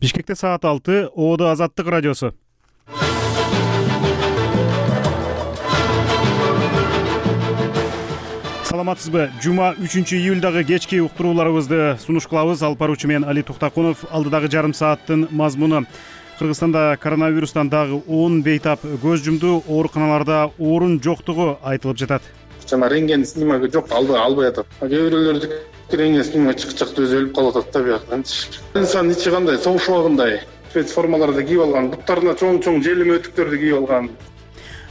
Бишкекте саат 6, ООД Азаттык радиосу. Саламатсызбы? Жума 3-июлдагы кечки уктурууларыбызды сунуш кылабыз. Алып баруучу мен Али Туктакунов. Алдыдагы жарым сааттын мазмуну: Кыргызстанда коронавирустан дагы 10 бейтап көз жумду. Ооруканаларда орун жоктугу айтылып жатат. Жана рентген снимогу жок, албай атат. Кээ бирөөлөрдү рентген снимог чыкчак түзөлүп калып атат да бияктан. Инсан ичи кандай, согуш убагындай спецформаларды кийип алган, буттарына чоң желим өтүктөрдү кийип алган.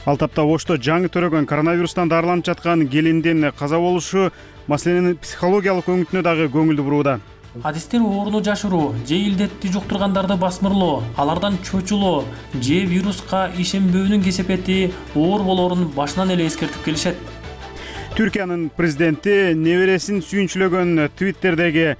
Ал тапта Ошто жаңы төрөгөн коронавирустан дарыланып жаткан келиндин каза болушу маселенин психологиялык өңүтүнө дагы көңүлдү бурууда. Адистер ооруну жашыруу же илдетти жуктургандарды басмырлоо, алардан чочулоо же вируска ишенбөөнүн кесепети оор болоорун башынан эле эскертип келишет. Түркиянын президенти небересин сүйүнчүлөгөн Twitter'деги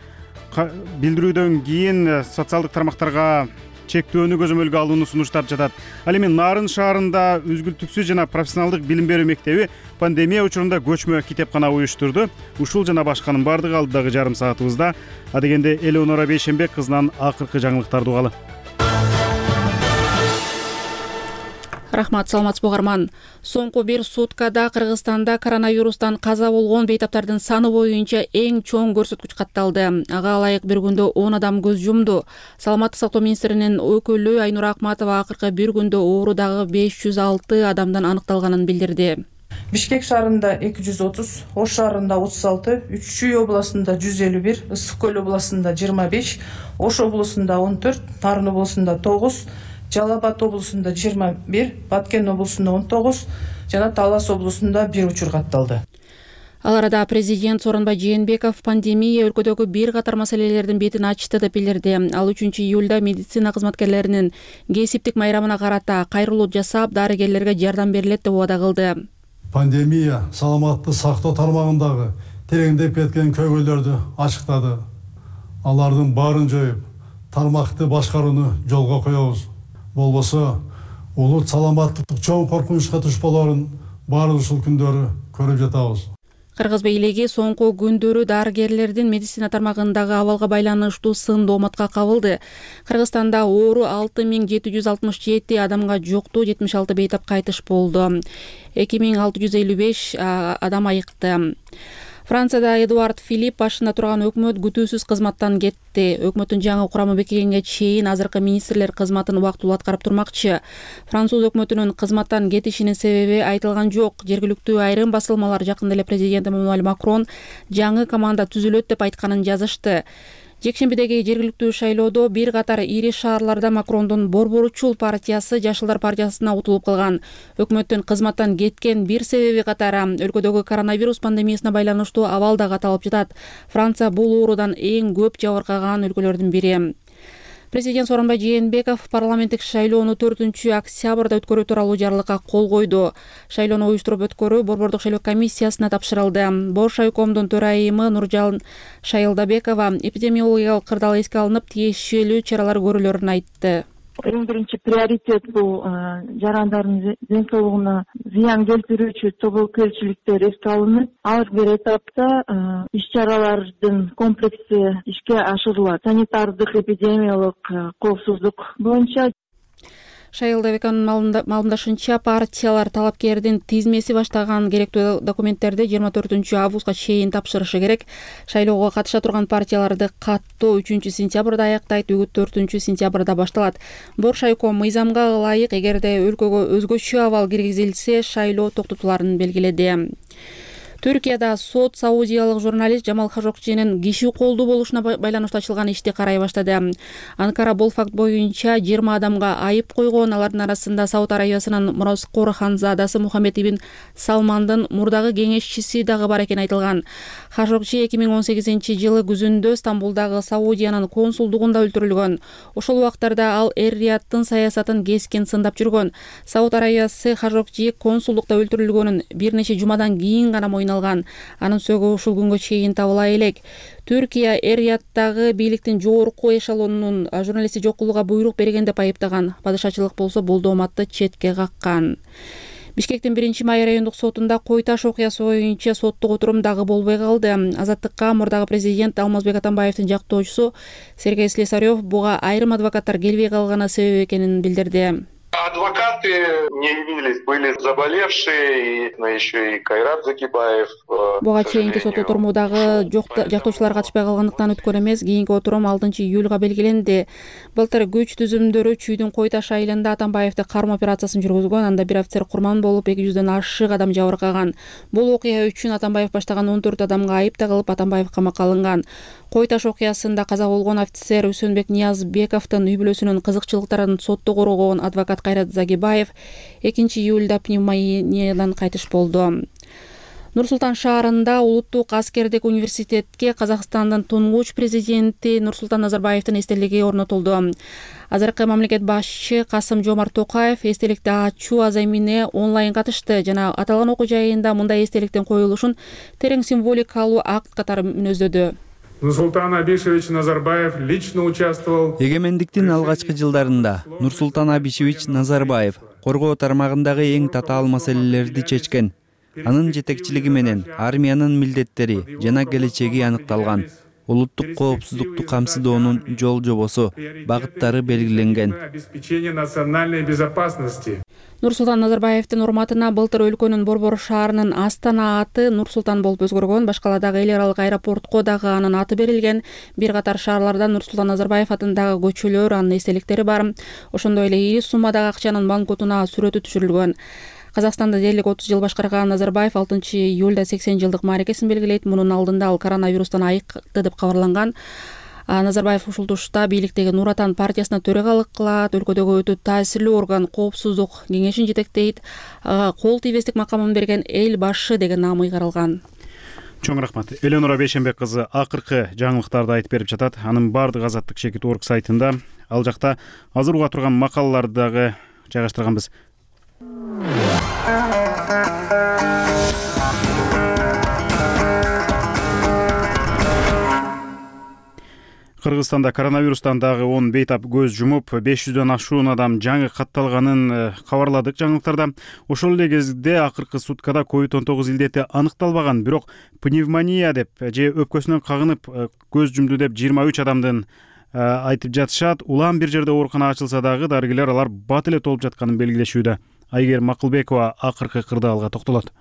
билдирүүдөн кийин социалдык тармактарга чектөөнү көзөмөлгө алууну сунуштап жатат. Ал эми Нарын шаарында үзгүлтүксүз жана профессионалдык билим берүү мектеби пандемия учурунда көчмө китепкана уюштурду. Ушул жана башканын бардыгы алдыдагы жарым саатыбызда. Адегенде Элеонора Бейшенбек кызынан акыркы жаңылыктарды угалы. Рахмат, саламатсызбы угарман. Соңку бир суткада Кыргызстанда коронавирустан каза болгон бейтаптардын саны боюнча эң чоң көрсөткүч катталды. Ага ылайык бир күндө 10 адам көз жумду. Саламаттык сактоо министринин өкүлү Айнура Акматова акыркы бир күндө оорудагы 506 адамдан аныкталганын билдирди. Бишкек шаарында 230, Ош шаарында 36, Үч-Чүй областында 151, Ысык Көл областында 25, Ош облусунда 14, Нарын облусунда 9, Жалал Абад облусунда 21, Баткен облусунда 19 жана Талас облусунда 1 учур катталды. Ал арада президент Сооронбай Жээнбеков пандемия өлкөдөгү бир катар маселелердин бетин ачты деп билдирди. Ал 3-июлда медицина кызматкерлеринин кесиптик майрамына карата кайрылуу жасап, дарыгерлерге жардам берилет деп убада кылды. Пандемия саламаттык сактоо тармагындагы тереңдеп кеткен көйгөйлөрдү ачыктады. Алардын баарын жоюп, тармакты башкарууну жолго коебуз. Болбосо улут саламаттык чоң коркунучка туш болоорун баары ушул күндөрү көрүп жатабыз. Кыргыз бийлиги соңку күндөрү дарыгерлердин медицина тармагындагы абалга байланыштуу сын дооматка кабылды. Кыргызстанда оору 6767 адамга жукту, 76 бейтап кайтыш болду. 2655 адам айыкты. Францияда Эдуард Филипп башында турган өкмөт күтүүсүз кызматтан кетти. Өкмөттүн жаңы курамы бекигенге чейин азыркы министрлер кызматын убактылуу аткарып турмакчы. Француз өкмөтүнүн кызматтан кетишинин себеби айтылган жок. Жергиликтүү айрым басылмалар жакында эле президент Эммануэль Макрон жаңы команда түзүлөт деп айтканын жазышты. Жекшембидеги жергиликтүү шайлоодо бир катар ири шаарларда Макрондун Борборучул партиясы Жашылдар партиясына утулуп калган. Өкмөттүн кызматтан кеткен бир себеби катары өлкөдөгү коронавирус пандемиясына байланыштуу абал дагы аталып жатат. Франция бул оорудан эң көп жабыркаган өлкөлөрдүн бири. Президент Сооронбай Жээнбеков парламенттик шайлоону 4-октябрда өткөрүү тууралуу жарлыкка кол койду. Шайлоону уюштуруп өткөрүү Борбордук шайлоо комиссиясына тапшырылды. Бош шайлкомдун төрайымы Нуржан Шайылдабекова эпидемиологиялык кырдаал эске алынып, тиешелүү чаралар көрүлөрүн айтты. Эң биринчи приоритет бул жарандардын ден соолугуна зыян келтирүүчү тобокелчиликтер эске алынып, ар бир этапта иш-чаралардын комплекси ишке ашырылат. Санитардык эпидемиялык коопсуздук боюнча. Шайылдабекованын маалымдашынча, партиялар талапкердин тизмеси баштаган керектүү документтерди 24 августка чейин тапшырышы керек. Шайлоого катыша турган партияларды каттоо 3-сентябрда аяктайт, үгүт 4-сентябрда башталат. Боршайком мыйзамга ылайык, эгерде өлкөгө өзгөчө абал киргизилсе, шайлоо токтотуларын белгиледи. Түркияда сот саудиялык журналист Жамал Хашокчинин киши колдуу болушуна байланыштуу ачылган ишти карай баштады. Анкара бул факт боюнча 20 адамга айып койгон. Алардын арасында Сауд Арабиясынын мураскор ханзадасы Мухаммед ибн Салмандын мурдагы кеңешчиси дагы бар экени айтылган. Хашокчи 2018-жылы күзүндө Стамбулдагы Саудиянын консулдугунда өлтүрүлгөн. Ошол убактарда ал эр-Рияттын саясатын кескен сындап жүргөн. Сауд Арабиясы Хашокчи консулдукта өлтүрүлгөнүн бир нече жумадан кийин гана алган. Анын сөөгү ушул күнгө чейин табыла элек. Түркия эр-Рияттагы бийликтин жогорку эшелонунун журналистти жок кылууга буйрук берген деп айыптаган. Падышачылык болсо бул дооматты четке каккан. Бишкектин 1-Май райондук сотунда Кой Таш окуясы боюнча соттук отурум дагы болбой калды. Азаттыкка мурдагы президент Алмазбек Атамбаевдин жактоочусу Сергей Слесарев буга айрым адвокаттар келбей калганы себеп экенин билдирди. Адвокаты не явились, были заболевшие, но еще и Кайрат Закибаев. Буга чейинки сот отурумудагы жактоочулар катышпай калгандыктан өткөн эмес. Кийинки отурум 6-июлга белгиленди. Былтыр күч түзүмдөрү Чүйдүн Кой Таш айылында Атамбаевди кармоо операциясын жүргүзгөн. Анда бир офицер курман болуп, 200дөн ашык адам жабыркаган. Бул окуя үчүн Атамбаев баштаган 14 адамга айып тагылып, Атамбаев камакка алынган. Кой Таш окуясында каза болгон офицер Үсөнбек Ниязбековдун үй бүлөсүнүн кызыкчылыктарын сотто коргогон адвокат Кайрат Загибаев 2-июлда пневмониядан кайтыш болду. Нур-Султан шаарында Улуттук аскердик университетке Казакстандын тунгуч президенти Нурсултан Назарбаевдин эстелиги орнотулду. Азыркы мамлекет башчы Касым-Жомарт Токаев эстеликти ачуу аза эмне онлайн катышты жана аталган окуу жайында мындай эстеликтин коюлушун терең символикалуу акт катары мүнөздөдү. Нурсултан Абишевич Назарбаев лично участвовал. Эгемендиктин алгачкы жылдарында Нурсултан Абишевич Назарбаев коргоо тармагындагы эң татаал маселелерди чечкен. Анын жетекчилиги менен армиянын милдеттери жана келечеги аныкталган. Улуттук коопсуздукту камсыздоонун жол жобосу, багыттары белгиленген. Обеспечение национальной безопасности. Нурсултан Назарбаевдин урматына былтыр өлкөнүн борбор шаарынын Астана аты Нурсултан болуп өзгөргөн. Башкаладагы эл аралык аэропортко дагы анын аты берилген. Бир катар шаарларда Нурсултан Назарбаев атындагы көчөлөр, анын эстеликтери бар. Ошондой эле ири суммадагы акчанын банкнотуна сүрөтү түшүрүлгөн. Казакстанды дээрлик 30 жыл башкарган Назарбаев 6-июлда 80 жылдык мааракесин белгилейт. Мунун алдында ал коронавирустан айыкты деп кабарланган. Назарбаев ушул тушта бийликтеги Нур Атан партиясына төрагалык кылат, өлкөдөгү өтө таасирлүү орган коопсуздук кеңешин жетектейт, кол тийбестик макамын берген эл башы деген наамы ыйгарылган. Чоң рахмат. Эленора Бейшенбек кызы акыркы жаңылыктарды айтып берип жатат. Анын бардыгы Азаттык Шекит.org сайтында. Ал жакта азыр уга турган макалаларды дагы жайгаштырганбыз. Кыргызстанда коронавирустан дагы 10 бейтап көз жумуп, 500дөн ашуун адам жаңы катталганын кабарладык жаңылыктарда. Ошол эле кезде акыркы суткада COVID-19 илдети аныкталбаган, бирок пневмония деп же өпкөсүнөн кагынып көз жумду деп 23 адамдын айтып жатышат. Улам бир жерде оорукана ачылса дагы дарыгерлер алар бат эле толуп жатканын белгилешүүдө. Айгер Макылбекова акыркы кырдаалга токтолот.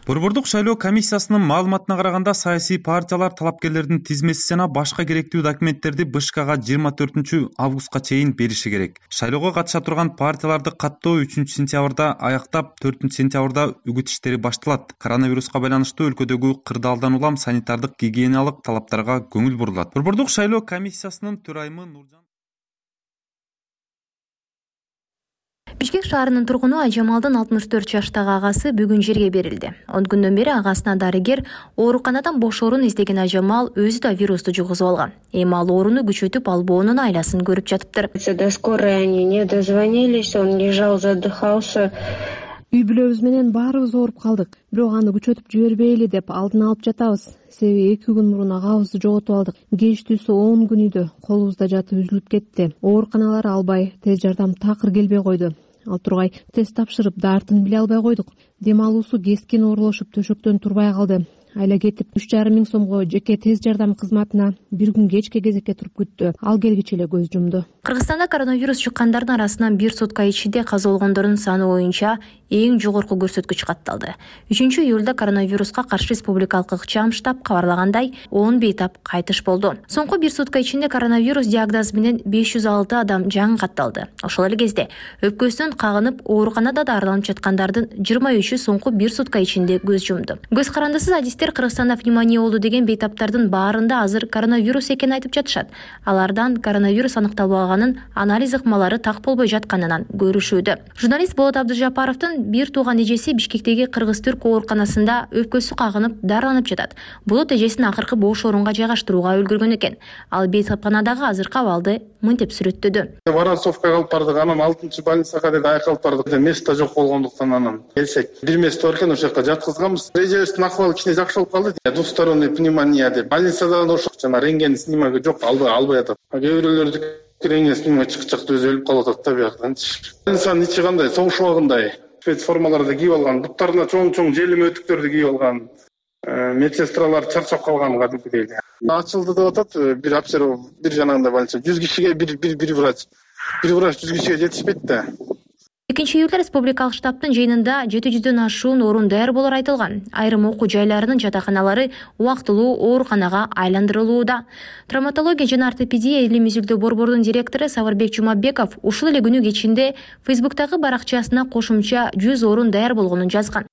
Борбордук шайлоо комиссиясынын маалыматына караганда саясий партиялар талапкерлердин тизмеси жана башка керектүү документтерди БШКга 24 августка чейин бериши керек. Шайлоого катыша турган партияларды каттоо 3 сентябрда аяктап, 4 сентябрда үгүт иштери башталат. Коронавируска байланыштуу өлкөдөгү кырдаалдан улам санитардык гигиеналык талаптарга көңүл бурулат. Борбордук шайлоо комиссиясынын төрайымы Нуржан Бишкек шаарынын тургуну Айжамалдын 64 жаштагы агасы бүгүн жерге берилди. 10 күндөн бери агасына дарыгер ооруканадан бош орун издеген Айжамал өзү да вирусту жугузуп алган. Эми ал ооруну күчөтүп албоонун айласын көрүп жатыптыр. До скорой они не дозвонились, он лежал, задыхался. Үй бүлөбүз менен баарыбыз ооруп калдык. Бирок аны күчөтүп жибербейли деп алдын алып жатабыз. Себеби 2 күн мурун агабызды жоготуп алдык. Кеч-түсү 10 күн үйдө колубузда жатып үзүлүп кетти. Ооруканалар албай, тез жардам такыр келбей койду. Ал тургай тест тапшырып, дартын биле албай койдук. Дем алуусу кескин оорулошуп төшөктөн турбай калды. Айла кетип 3,5 миң сомго жеке тез жардам кызматына бир күн кечке кезекке туруп күттү. Ал келгиче эле көз жумду. Кыргызстанда коронавирус чыккандардын арасынан бир сутка ичинде каза болгондордун саны боюнча эң жогорку көрсөткүч катталды. 3-июлда коронавируска каршы республикалык ыкчам штаб кабарлагандай 10 бейтап кайтыш болду. Соңку бир сутка ичинде коронавирус диагнозу менен 506 адам жаңы катталды. Ошол эле кезде өпкөсүнөн кагынып ооруканада дарыланып жаткандардын 23-ü соңку бир сутка ичинде көз жумду. Көз карандысыз адистер Кыргызстанда пневмония болду деген бейтаптардын баарында азыр коронавирус экенин айтып жатышат. Алардан коронавирус аныкталбаганын анализ ыкмалары так болбой жатканынан көрүшүүдө. Журналист Болот Абдыжапаровдун бир тууган эжеси Бишкектеги Кыргыз-Түрк ооруканасында өпкөсү кагынып дарыланып жатат. Болот эжесин акыркы бош орунга жайгаштырууга үлгүргөн экен. Ал бейтапканадагы азыркы абалды мынтип сүрөттөдү. Воронцовкага алып бардык, анан 6-больницага деп айкалып бардык. Место жок болгондуктан анан келсек, бир место бар экен, ошол жака жаткызганбыз. Эжебиздин акыбалы кичине жакшырып калды. Двусторонний пневмония деп. Больницада да ошол жана рентген снимогу жок, албай атат. Кээ бирөөлөр рентген снимогу чыкчак өзү өлүп калып атат да бияктан. Инсан ичи кандай, согуш убагындай. спецформаларды кийип алган, буттарына чоң желим өтүктөрдү кийип алган медсестралар чарчап калган кадимкидей. Ачылды деп атат. Бир обсерв, бир жанагында больница 100 кишиге бир врач. Бир врач 100 кишиге жетишпейт да. 2-июлда республикалык штабтын жыйынында 700дөн ашуун орун даяр болор айтылган. Айрым окуу жайларынын жатаканалары убактылуу ооруканага айландырылууда. Травматология жана ортопедия элимизилдөө борбордун директору Саварбек Жумабеков ушул эле күнү кечинде Фейсбуктагы баракчасына кошумча 100 орун даяр болгонун жазган.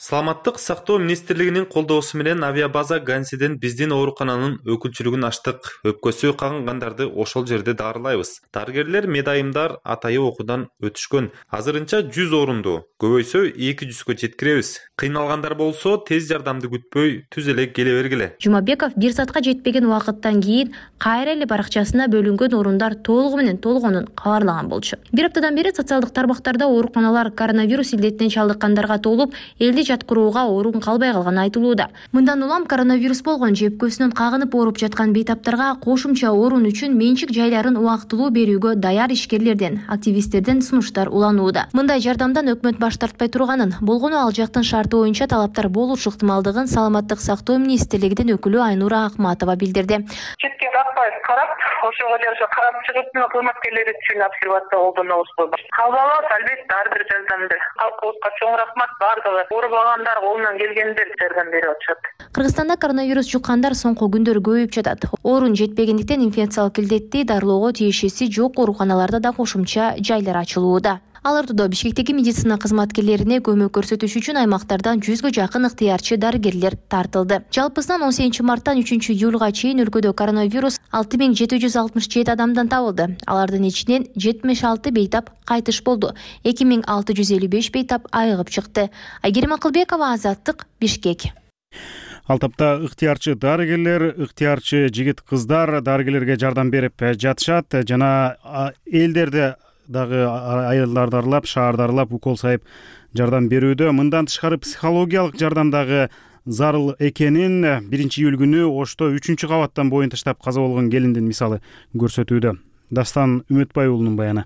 Саламаттык сактоо министрлигинин колдоосу менен авиабаза Гансиден биздин оорукананын өкүлчүлүгүн ачтык. Өпкөсү кагынгандарды ошол жерде дарылайбыз. Дарыгерлер медайымдар атайы окуудан өтүшкөн. Азырынча 100 орунду, көбөйсө 200гө жеткиребиз. Кыйналгандар болсо тез жардамды күтпөй түз эле келе бергиле. Жумабеков 1 саатка жетпеген убакыттан кийин кайра эле баракчасына бөлүнгөн орундар толугу менен толгонун кабарлаган болчу. Бир аптадан бери социалдык тармактарда ооруканалар коронавирус илдетине чалдыккандарга толуп, элди жаткырууга орун калбай калганы айтылууда. Мындан улам коронавирус болгон же өпкөсүнөн кагынып ооруп жаткан бейтаптарга кошумча орун үчүн менчик жайларын убактылуу берүүгө даяр ишкерлерден, активисттерден сунуштар уланууда. Мындай жардамдан өкмөт баш тартпай турганын, болгону ал жактын шарты боюнча талаптар болушу ыктымалдыгын Саламаттык сактоо министрлигинин өкүлү Айнура Акматова билдирди. Четке каппай карап, ошого деле карап чыгып, кызматкерлер үчүн обсервация колдонобуз. Кабыл албетте ар бир жардамды. Халкыбызга чоң рахмат бардыгы. Оорубагандар колунан келгенде жардам берип атышат. Кыргызстанда коронавирус жуккандар соңку күндөр көбөйүп жатат. Орун жетпегендиктен инфекциялык илдетти дарылоого тиешеси жок ооруканаларда да кошумча жайлар ачылууда. Ал ортодо Бишкектеги медицина кызматкерлерине көмөк көрсөтүш үчүн аймактардан 100гө жакын ыктыярчы дарыгерлер тартылды. Жалпысынан 18 марттан 3-июлга чейин өлкөдө коронавирус 6767 адамдан табылды. Алардын ичинен 76 бейтап кайтыш болду. 2655 бейтап айыгып чыкты. Айгерим Акылбекова, Азаттык, Бишкек. Ал тапта ыктыярчы дарыгерлер, ыктыярчы жигит-кыздар дарыгерлерге жардам берип жатышат жана элдерди дагы айылдарды аралап, шаарды аралап укол сайып жардам берүүдө. Мындан тышкары психологиялык жардам дагы зарыл экенин 1-июль күнү Ошто 3-кабаттан боюн таштап каза болгон келиндин мисалы көрсөтүүдө. Дастан Үмүтбай уулунун баяны.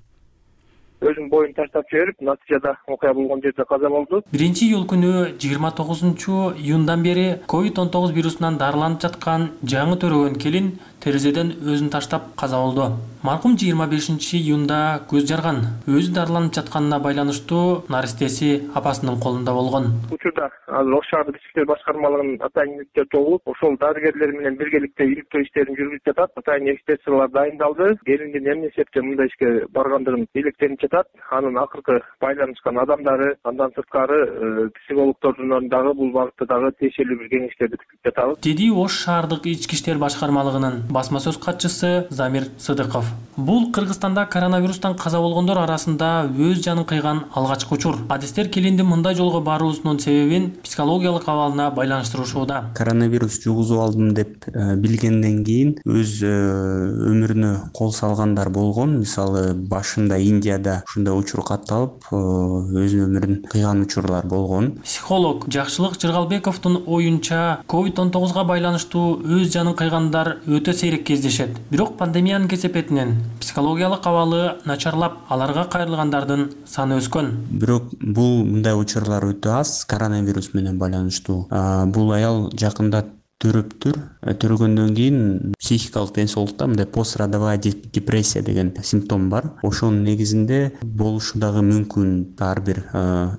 Өзүн боюн таштап жиберип, натыйжада окуя болгон жерде каза болду. 1-июль күнү 29-июндан бери COVID-19 вирусунан дарыланып жаткан жаңы төрөгөн келин терезеден өзүн таштап каза болду. Маркум 25-июнда көз жарган. Өзү дарыланып жатканына байланыштуу наристеси апасынын колунда болгон. Учурда азыр Ош шаардык ички иштер башкармалыгынын атайын иликтер тобу ошол дарыгерлер менен биргеликте иликтөө иштерин жүргүзүп жатат. Атайын экспертиялар дайындалды. Келиндин эмне себептен мындай ишке баргандыгын иликтенип жатат. Анын акыркы байланышкан адамдары, андан сырткары психологдордун дагы бул багытта дагы тиешелүү бир кеңештерди күтүп жатабыз. Деди Ош шаардык ички иштер башкармалыгынын басма сөз катчысы Замир Сыдыков. Бул Кыргызстанда коронавирустан каза болгондор арасында өз жанын кыйган алгачкы учур. Адистер келиндин мындай жолго баруусунун себебин психологиялык абалына байланыштырышууда. Коронавирус жугузуп алдым деп билгенден кийин өз өмүрүнө кол салгандар болгон. Мисалы башында Индияда ушундай учур катталып, өз өмүрүн кыйган учурлар болгон. Психолог Жакшылык Жыргалбековдун оюнча COVID-19 байланыштуу өз жанын кыйгандар өтө сейрек кездешет. Бирок пандемиянын кесепетинен психологиялык абалы начарлап, аларга кайрылгандардын саны өскөн. Бирок бул мындай учурлар өтө аз коронавирус менен байланыштуу. Бул аял жакында төрөгөндөн кийин психикалык ден соолукта мындай пострадовая депрессия деген симптом бар. Ошонун негизинде болушу дагы мүмкүн. Ар бир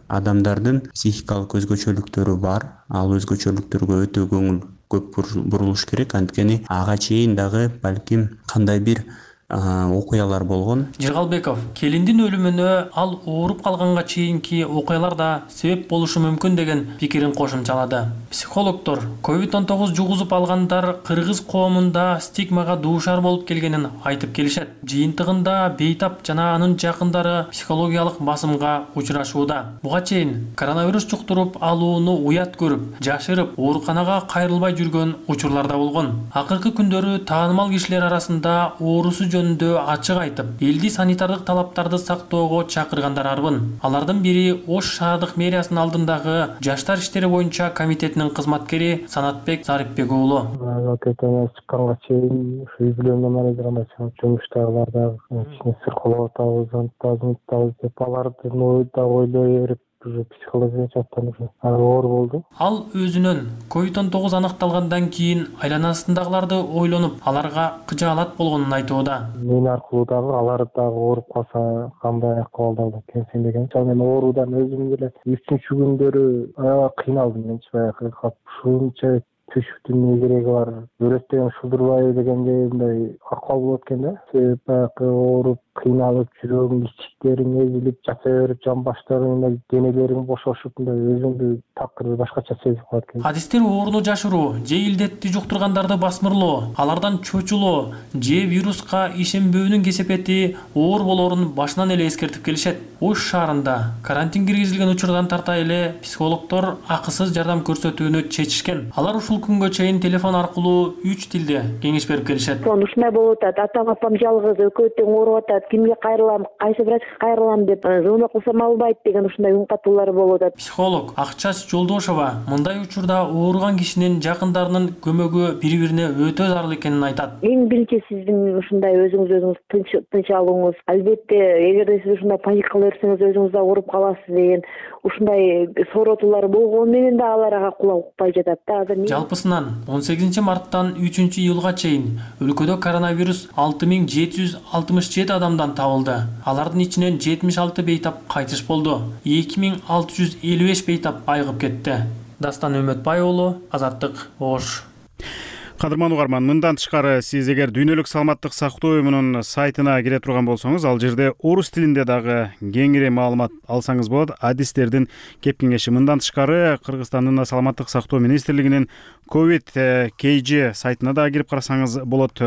адамдардын психикалык өзгөчөлүктөрү бар. Ал өзгөчөлүктөргө өтө көңүл көп бурулуш керек. Анткени ага чейин дагы балким кандай бир окуялар болгон. Жыргалбеков келиндин өлүмүнө ал ооруп калганга чейинки окуялар да себеп болушу мүмкүн деген пикирин кошумчалады. Психологдор COVID-19 жугузуп алгандар кыргыз коомунда стигмага дуушар болуп келгенин айтып келишет. Жыйынтыгында бейтап жана анын жакындары психологиялык басымга учурашууда. Буга чейин коронавирус жуктуруп алууну уят көрүп, жашырып, ооруканага кайрылбай жүргөн учурлар да болгон. Акыркы күндөрү таанымал кишилер арасында оорусу жөнүндө ачык айтып, элди санитардык талаптарды сактоого чакыргандар арбын. Алардын бири Ош шаардык мэриясынын алдындагы жаштар иштери боюнча комитетинин кызматкери Санатбек Зарипбек уулу. Окуядан чыкканга чейин үй бүлөмдөн арайдаганда жумуштагыларда кичине сыркылап атабыз деп алардын ойда ойлой берип психологиялык жактан оор болду. Ал өзүнөн COVID-19 аныкталгандан кийин айланасындагыларды ойлонуп, аларга кыжаалат болгонун айтууда. Мен аркылуу дагы алар дагы ооруп калса кандай акыбалда экенсиң деген. Мен оорудан өзүм деле 3-чү күндөрү аябай кыйналдым. Менчи баягы ушунча түшүктүн эмне кереги бар, өрөттөн шудурбай дегендей мындай акыбал болот экен да. Себеп баягы ооруп, кыйналып, жүрөгүң ичиктериң эзилип, жата берип, жан баштарың, денелериң бошошуп, мындай өзүңдү такыр башкача сезип калат экен. Адистер ооруну жашыруу, же илдетти жуктургандарды басмырлоо, алардан чочулоо, же вируска ишенбөөнүн кесепети оор болоорун башынан эле эскертип келишет. Ош шаарында карантин киргизилген учурдан тарта эле психологдор акысыз жардам көрсөтүүнү чечишкен. Алар ушул күнгө чейин телефон аркылуу 3 тилде кеңеш берип келишет. Ушундай болуп атат, атам апам жалгыз, экөө тең ооруп атат, кимге кайрылам, кайсы врачка кайрылам деп звонок кылсам албайт деген ушундай үн катуулар болуп атат. Психолог Акчач Жолдошова мындай учурда ооруган кишинин жакындарынын көмөгү бири-бирине өтө зарыл экенин айтат. Эң биринчи сиздин ушундай өзүңүз тынч алууңуз. Албетте, эгерде сиз ушундай паникалай берсеңиз өзүңүз да ооруп каласыз деген ушундай сооротуулар болгону менен да алар ага кулак укпай жатат да. Жалпысынан 18 марттан 3 июлга чейин өлкөдө коронавирус 6767 адамдан табылды. Алардын ичинен 76 бейтап кайтыш болду. 2655 бейтап айыгып кетти. Дастан Өмөтбай уулу, Азаттык, Ош. Кадырман угарман, мындан тышкары сиз эгер дүйнөлүк саламаттык сактоо уюмунун сайтына кире турган болсоңуз, ал жерде орус тилинде дагы кеңири маалымат алсаңыз болот. Адистердин кеп кеңеши. Мындан тышкары Кыргызстандын саламаттык сактоо министрлигинин COVID KG сайтына да кирип карасаңыз болот.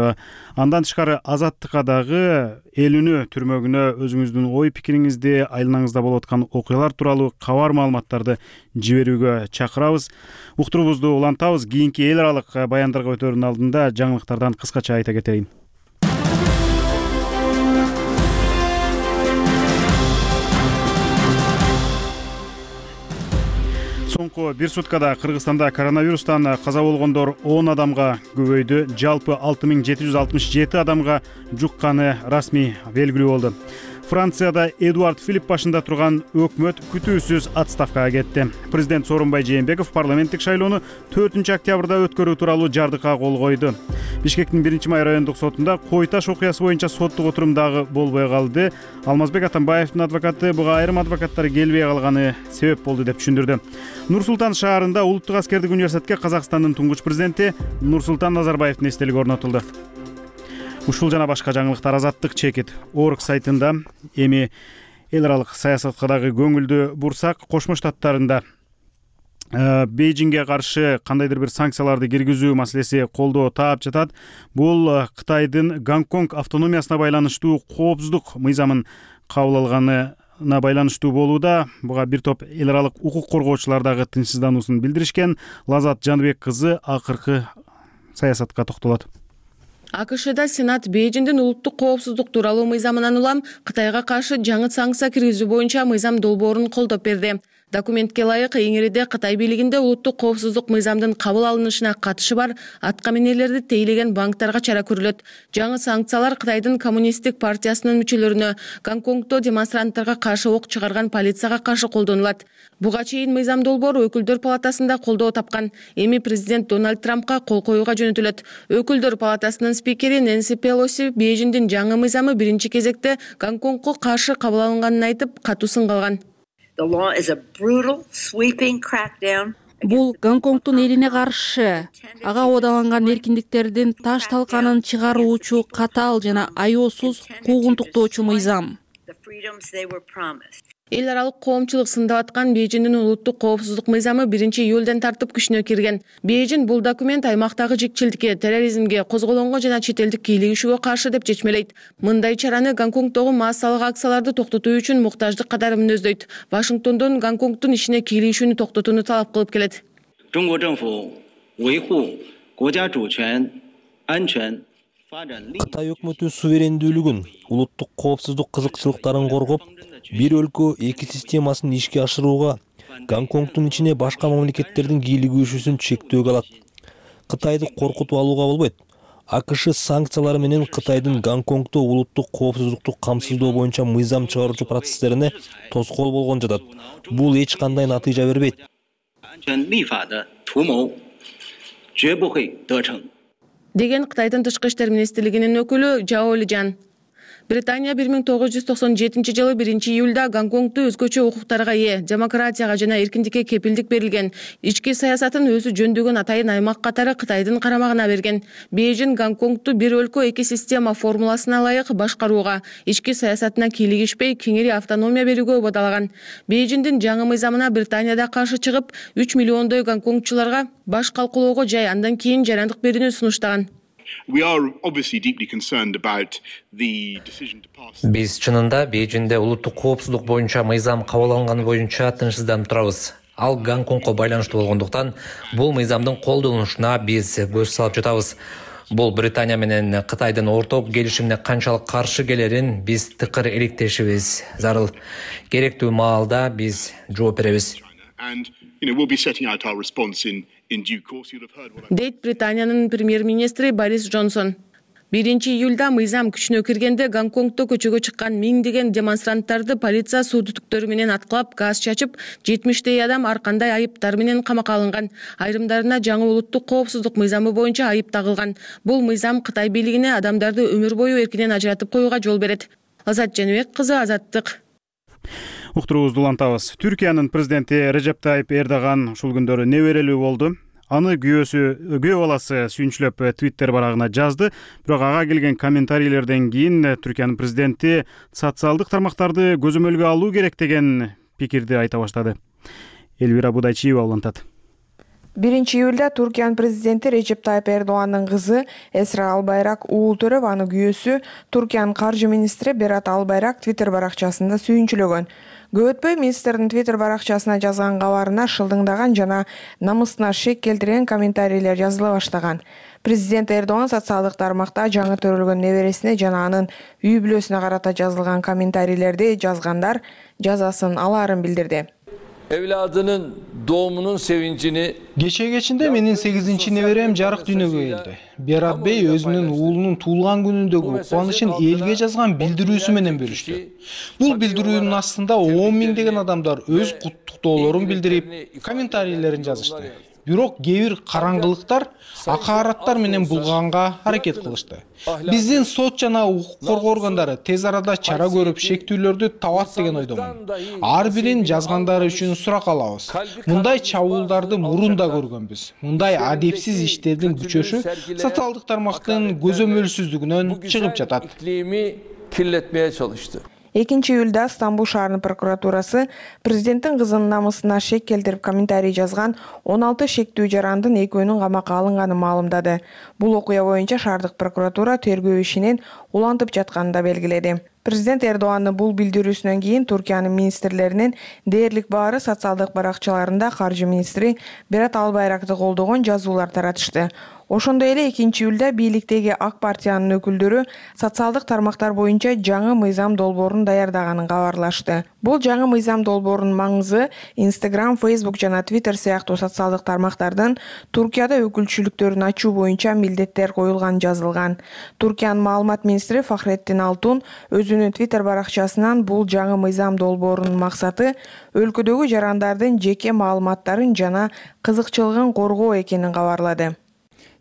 Андан тышкары Азаттыкка дагы эл үнү түрмөгүнө өзүңүздүн ой пикириңизди, айланаңызда болуп аткан окуялар тууралуу кабар маалыматтарды жиберүүгө чакырабыз. Уктуруубузду улантабыз. Кийинки эл аралык баяндарга өтөрүнүн алдында жаңылыктардан кыскача айта кетейин. Соңку бир суткада Кыргызстанда коронавирустан каза болгондор 10 адамга көбөйдү. Жалпы 6767 адамга жукканы расмий белгилүү болду. Францияда Эдуард Филипп башында турган өкмөт күтүүсүз отставкага кетти. Президент Сооронбай Жээнбеков парламенттик шайлоону 4 октябрда өткөрүү тууралуу жардыкка кол койду. Бишкектин 1-май райондук сотунда Кой Таш окуясы боюнча соттук отурум дагы болбой калды. Алмазбек Атамбаевдин адвокаты буга айрым адвокаттар келбей калганы себеп болду деп түшүндүрдү. Нур-Султан шаарында Улуттук аскердик университетке Казакстандын туңгуч президенти Нурсултан Назарбаевдин эстелиги орнотулду. Ушул жана башка жаңылыктар Азаттык чекит Орг сайтында. Эми эл аралык саясатка дагы көңүлдү бурсак, Кошмо Штаттарында Бейжиңге каршы кандайдыр бир санкцияларды киргизүү маселеси колдоо таап жатат. Бул Кытайдын Гонконг автономиясына байланыштуу коопсуздук мыйзамын кабыл алганына байланыштуу болууда. Буга бир топ эл аралык укук коргоочулар дагы тынчсыздануусун билдиришкен. Лазат Жаныбек кызы акыркы саясатка токтолот. АКШда Сенат Бейжиңдин улуттук коопсуздук тууралуу мыйзамынан улам Кытайга каршы жаңы санкция киргизүү боюнча мыйзам долбоорун колдоп берди. Документке ылайык эңириде Кытай бийлигинде улуттук коопсуздук мыйзамдын кабыл алынышына катышы бар атка минерлерди тейлеген банктарга чара көрүлөт. Жаңы санкциялар Кытайдын коммунисттик партиясынын мүчөлөрүнө, Гонконгдо демонстранттарга каршы ок чыгарган полицияга каршы колдонулат. Буга чейин мыйзам долбоору Өкүлдөр палатасында колдоо тапкан. Эми президент Дональд Трампка кол коюуга жөнөтүлөт. Өкүлдөр палатасынын спикери Нэнси Пелоси Бейжиңдин жаңы мыйзамы биринчи кезекте Гонконгго каршы кабыл алынганын айтып, катуу сын калган. Бул Гонконгдун элине каршы ага оодаланган эркиндиктердин таш талканын чыгаруучу катаал жана аяосуз куугунтуктоочу мыйзам. Эл аралык коомчулук сындап аткан Бейжиңдин улуттук коопсуздук мыйзамы 1-июлдан тартып күчүнө кирген. Бейжиң бул документ аймактагы жикчилдикке, терроризмге, козголоңго жана чет элдик кийлигишүүгө каршы деп чечмелейт. Мындай чараны Гонконгдогу массалык акцияларды токтотуу үчүн муктаждык катары мүнөздөйт. Вашингтондон Гонконгдун ишине кийлигишүүнү токтотууну талап кылып келет. Кытай өкмөтү суверендүүлүгүн, улуттук коопсуздук кызыкчылыктарын коргоп, бир өлкө эки системасын ишке ашырууга, Гонконгдун ичине башка мамлекеттердин кийлигишүүсүн чектөөгө алат. Кытайды коркутуп алууга болбойт. АКШ санкциялары менен Кытайдын Гонконгдо улуттук коопсуздукту камсыздоо боюнча мыйзам чыгаруучу процесстерине тоскоол болгон жатат. Бул эч кандай натыйжа бербейт. Деген Кытайдын тышкы иштер министрлигинин өкүлү Жао Лижан. Британия 1997 жылы 1-июлда Гонконгду өзгөчө укуктарга ээ, демократияга жана эркиндикке кепилдик берилген, ички саясатын өзү жөндөгөн атайын аймак катары Кытайдын карамагына берген. Бейжин Гонконгду бир өлкө эки система формуласына ылайык башкарууга, ички саясатына кийлигишпей кеңири автономия берүүгө убадалаган. Бейжиндин жаңы мыйзамына Британияда каршы чыгып, 3 миллиондой гонконгчуларга баш калкулоого жай, андан кийин жарандык берүүнү сунуштаган. Биз чынында Бейжинде улуттук коопсуздук боюнча мыйзам кабыл алынганы боюнча тынчсызданып турабыз. Ал Гонконгко байланыштуу болгондуктан бул мыйзамдын колдонулушуна биз көз салып жатабыз. Бул Британия менен Кытайдын орток келишимине канчалык каршы келерин биз тыкыр иликтешибиз зарыл. Керектүү маалда биз жооп беребиз. Дейт Британиянын премьер-министри Борис Джонсон. 1-июлда мыйзам күчүнө киргенде Гонконгдо көчөгө чыккан миңдеген демонстранттарды полиция суу түтүктөрү менен аткылап, газ чачып, 70 адам ар кандай айыптар менен камакка алынган. Айрымдарына жаңы улуттук коопсуздук мыйзамы боюнча айып тагылган. Бул мыйзам Кытай бийлигине адамдарды өмүр бою эркинен ажыратып коюуга жол берет. Азат Женебек кызы, Азаттык. Уктуруубузду улантабыз. Түркиянын президенти Режеп Тайип Эрдоган ушул күндөрү неберелүү болду. Аны күйөө баласы сүйүнчүлөп Twitter барагына жазды. Бирок ага келген комментарийлерден кийин Түркиянын президенти социалдык тармактарды көзөмөлгө алуу керек деген пикирди айта баштады. Элвира Будайчиева улантат. 1-июлда Туркиянын президенти Режеп Тайип Эрдогандын кызы Эсра Албайрак уул төрөп, аны күйөөсү Туркиянын каржы министри Берат Албайрак Twitter баракчасында сүйүнчүлөгөн. Көп өтпөй министрдин Twitter баракчасына жазган кабарына шылдыңдаган жана намысына шек келтирген комментарийлер жазыла баштаган. Президент Эрдоган социалдык тармакта жаңы төрөлгөн небересине жана анын үй бүлөсүнө карата жазылган комментарийлерди жазгандар жазасын алаарын билдирди. Evladının doğumunun sevincini Кече менин 8-чи неберем жарык дүйнөгө келди. Берат Бей өзүнүн уулунун туулган күнүндөгү кубанычын элге жазган билдирүүсү менен бөлүштү. Бул билдирүүнүн астында 10 миңдеген адамдар өз куттуктоолорун билдирип, комментарийлерин жазышты. Бирок кээ бир караңгылыктар акаараттар менен булганга аракет кылышты. Биздин сот жана укук коргоо органдары тез арада чара көрүп, шектүүлөрдү табат деген ойдомун. Ар бирин жазгандары үчүн сурак алабыз. Мындай чабуулдарды мурун да көргөнбүз. Мындай адепсиз иштердин күчөшү социалдык тармактын көзөмөлсүздүгүнөн чыгып жатат. kirletmeye çalıştı. 2-июлда Стамбул шаарынын прокуратурасы президенттин кызынын намысына шек келтирип комментарий жазган 16 шектүү жарандын экөөнүн камакка алынганын маалымдады. Бул окуя боюнча шаардык прокуратура тергөө ишинин улантып жатканын да белгиледи. Президент Эрдогандын бул билдирүүсүнөн кийин Туркиянын министрлеринин дээрлик баары социалдык баракчаларында каржы министри Берат Албайракты колдогон жазуулар таратышты. Ошондой эле 2-июлда бийликтеги ак партиянын өкүлдөрү социалдык тармактар боюнча жаңы мыйзам долбоорун даярдаганын кабарлашты. Бул жаңы мыйзам долбоорунун маңызы Instagram, Facebook жана Twitter сыяктуу социалдык тармактардын Туркияда өкүлчүлүктөрүн ачуу боюнча милдеттер коюлган жазылган. Туркиянын маалымат министри Фахреттин Алтун өзүнүн Twitter баракчасынан бул жаңы мыйзам долбоорунун максаты өлкөдөгү жарандардын жеке маалыматтарын жана кызыкчылыгын коргоо экенин кабарлады.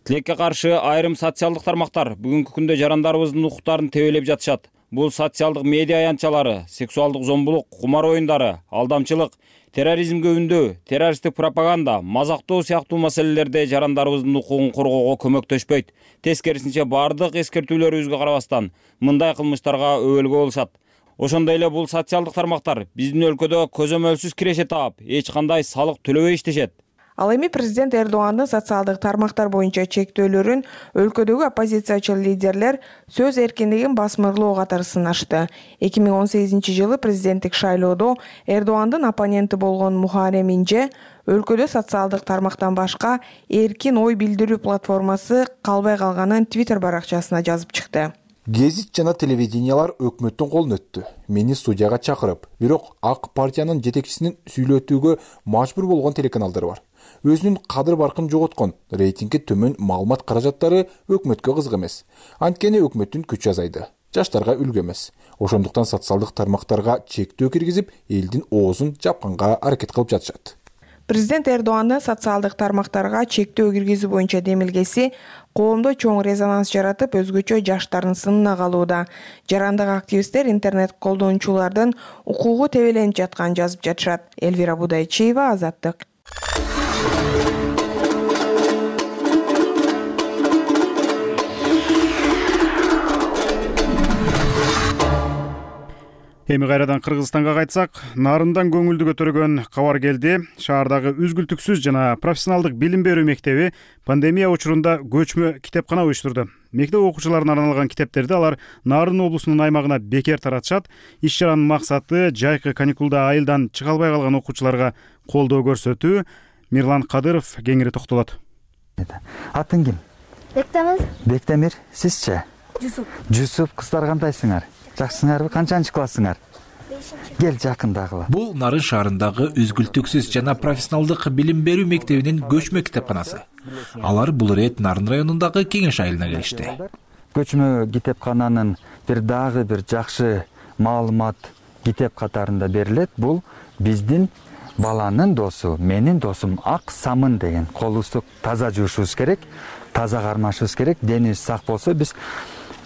Тилекке каршы айрым социалдык тармактар бүгүнкү күндө жарандарыбыздын укуктарын тебелеп жатышат. Бул социалдык медиа аянтчалары, сексуалдык зомбулук, кумар оюндары, алдамчылык, терроризмге үндөө, террористтик пропаганда, мазактоо сыяктуу маселелерде жарандарыбыздын укугун коргоого көмөктөшпөйт. Тескерисинче бардык эскертүүлөрүбүзгө карабастан мындай кылмыштарга өбөлгө болушат. Ошондой эле бул социалдык тармактар биздин өлкөдө көзөмөлсүз киреше таап, эч кандай салык төлөбөй иштешет. Ал эми президент Эрдогандын социалдык тармактар боюнча чектөөлөрүн өлкөдөгү оппозициячы лидерлер сөз эркиндигин басмырлоо катары сынашты. 2018-жылы президенттик шайлоодо Эрдогандын оппоненти болгон Мухаррем Инже өлкөдө социалдык тармактан башка эркин ой билдирүү платформасы калбай калганын Twitter баракчасына жазып чыкты. Гезит жана телевидениялар өкмөттүн колуна өттү. Мени студияга чакырып, бирок ак партиянын жетекчисинин сүйлөтүүгө мажбур болгон телеканалдар бар. Өзүнүн кадыр баркын жоготкон, рейтинги төмөн маалымат каражаттары өкмөткө кызык эмес. Анткени өкмөттүн күчү азайды. Жаштарга үлгү эмес. Ошондуктан социалдык тармактарга чектөө киргизип, элдин оозун жапканга аракет кылып жатышат. Президент Эрдогандын социалдык тармактарга чектөө киргизүү боюнча демилгеси коомдо чоң резонанс жаратып, өзгөчө жаштардын сынына калууда. Жарандык активисттер интернет колдонуучулардын укугу тебеленип жатканын жазып жатышат. Элвира Будайчиева, Азаттык. Эми кайрадан Кыргызстанга кайтсак, нарындан көңүлдү көтөргөн кабар келди. Шаардагы үзгүлтүксүз жана профессионалдык билим берүү мектеби пандемия учурунда көчмө китепкана уюштурду. Мектеп окуучуларына арналган китептерди алар Нарын облусунун аймагына бекер таратышат. Иш-чаранын максаты жайкы каникулда айылдан чыга албай калган окуучуларга колдоо көрсөтүү. Мирлан Кадыров кеңири токтолот. Атын ким? Бектемир. Бектемир, сизчи? Жусуп. Жусуп, кыздар кандайсыңар? Жакшысыңарбы? Канчанчы классыңар? 5-чи. Кел жакындагыла. Бул Нарын шаарындагы үзгүлтүксүз жана профессионалдык билим берүү мектебинин көчмө китепканасы. Алар бул ирет Нарын районундагы Кеңеш айылына келишти. Көчмө китепкананын дагы бир жакшы маалымат китеп катарында берилет. Бул биздин баланын досу, менин досум Ак Самын деген. Колубузду таза жуушубуз керек, таза кармашыбыз керек. Денибиз сак болсо биз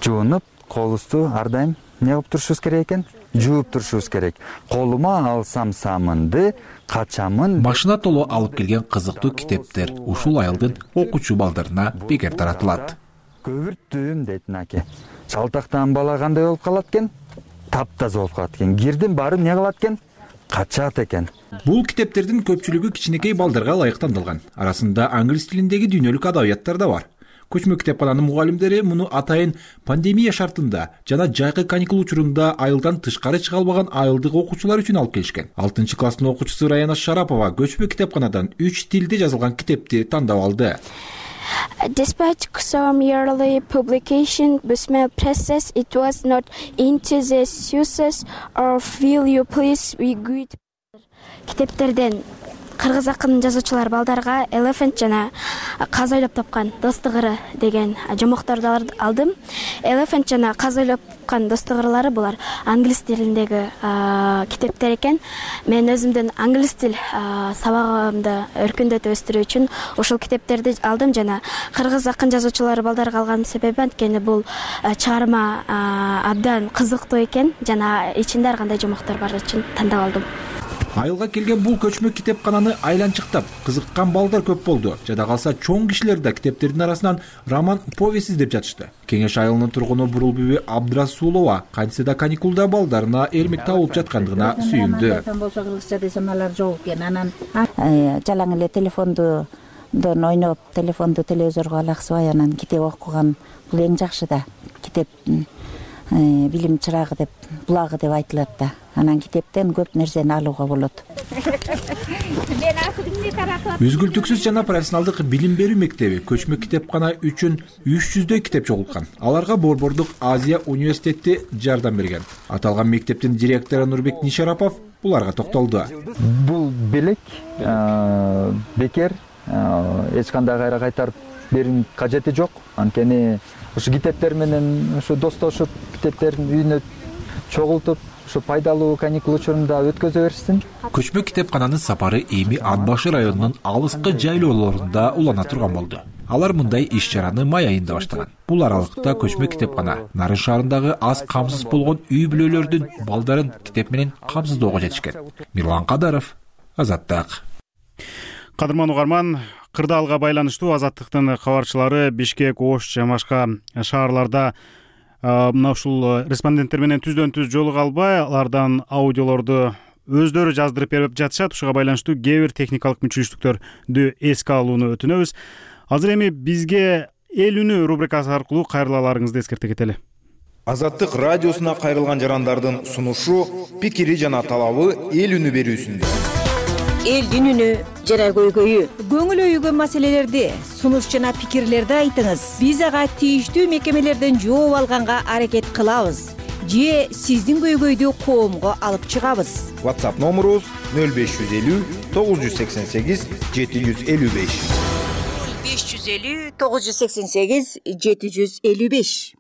жуунуп, колубузду ар дайым не кылып турушубуз керек экен? Жууп турушубуз керек. Колума алсам самынды, качамын. Машина толо алып келген кызыктуу китептер ушул айылдын окуучу балдарына бекер таратылат. Көбүрттүм дейт аке. Шалтактан бала кандай болуп калат экен? Таптаза болуп калат экен. Кирдин баары не кылат экен? Качат экен. Бул китептердин көпчүлүгү кичинекей балдарга ылайык тандалган. Арасында англис тилиндеги дүйнөлүк адабияттар да бар. Көчмө китепкананын мугалимдери муну атайын пандемия шартында жана жайкы каникул учурунда айылдан тышкары чыга албаган айылдык окуучулар үчүн алып келишкен. 6-класстын окуучусу Раяна Шарапова көчмө китепканадан 3 тилде жазылган китепти тандап алды. Despite some yearly publication, Busmail presses it was not into the success of will you please we good. Китептерден кыргыз акын жазуучулар балдарга Elephant жана Каз ойлоп тапкан достугыры деген жомокторду алдым. Elephant жана Каз ойлоп тапкан достугырлары булар англис тилиндеги китептер экен. Мен өзүмдүн англис тил сабагымды өркүндөтүп өстүрүү үчүн ушул китептерди алдым жана кыргыз акын жазуучулары балдарга алган себеби анткени бул чыгарма абдан кызыктуу экен жана ичинде ар кандай жомоктор бар үчүн тандап алдым. Айылга келген бул көчмө китепкананы айланчыктап кызыккан балдар көп болду. Жада калса чоң кишилер да китептердин арасынан роман повесть издеп жатышты. Кеңеш айылынын тургуну Бурулбүбү Абдрасулова кантсе да каникулда балдарына эрмек табылып жаткандыгына сүйүндү. Болсо кыргызча десем алар жок экен. Анан жалаң эле телефондон ойноп, телефонду телевизорго алаксыбай анан китеп окуган бул эң жакшы да. Китеп билим чырагы деп, булагы деп айтылат да. Анан китептен көп нерсени алууга болот. Үзгүлтүксүз жана профессионалдык билим берүү мектеби көчмө китепкана үчүн 300дөй китеп чогулткан. Аларга Борбордук Азия университети жардам берген. Аталган мектептин директору Нурбек Нишарапов буларга токтолду. Бул белек бекер эч кандай кайра кайтарып берүүнүн кажети жок. Анткени ушу китептер менен ушу достошуп, китептердин үйүнө чогултуп, ушу пайдалуу каникул учурунда өткөзө берсин. Көчмө китепкананын сапары эми Ат башы районунун алыскы жайлоолорунда улана турган болду. Алар мындай иш-чараны май айында баштаган. Бул аралыкта көчмө китепкана Нарын шаарындагы аз камсыз болгон үй бүлөлөрдүн балдарын китеп менен камсыздоого жетишкен. Мирлан Кадаров, Азаттык. Кадырман угарман, кырдаалга байланыштуу Азаттыктын кабарчылары Бишкек, Ош жана башка шаарларда мына ушул респонденттер менен түздөн-түз жолуга албай, алардан аудиолорду өздөрү жаздырып берип жатышат. Ушуга байланыштуу кээ бир техникалык мүчүлүштүктөрдү эске алууну өтүнөбүз. Азыр эми бизге эл үнү рубрикасы аркылуу кайрылууларыңызды эскерте кетели. Азаттык радиосуна кайрылган жарандардын сунушу, пикири жана талабы эл үнү берүүсүндө. Элдин үнү жара көйгөйү. Көңүл өйгөн маселелерди, сунуш жана пикирлерди айтыңыз. Биз ага тийиштүү мекемелерден жооп алганга аракет кылабыз. Же сиздин көйгөйдү коомго алып чыгабыз. WhatsApp номерубуз 0550 988 755. 550 988 755.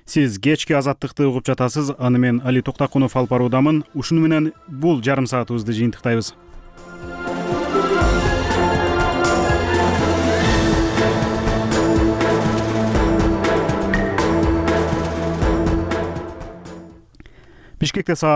Сиз кечки азаттыкты угуп жатасыз. Аны мен Али Токтакунов алып баруудамын. Ушуну менен бул жарым саатыбызды жыйынтыктайбыз. Бишкекте саат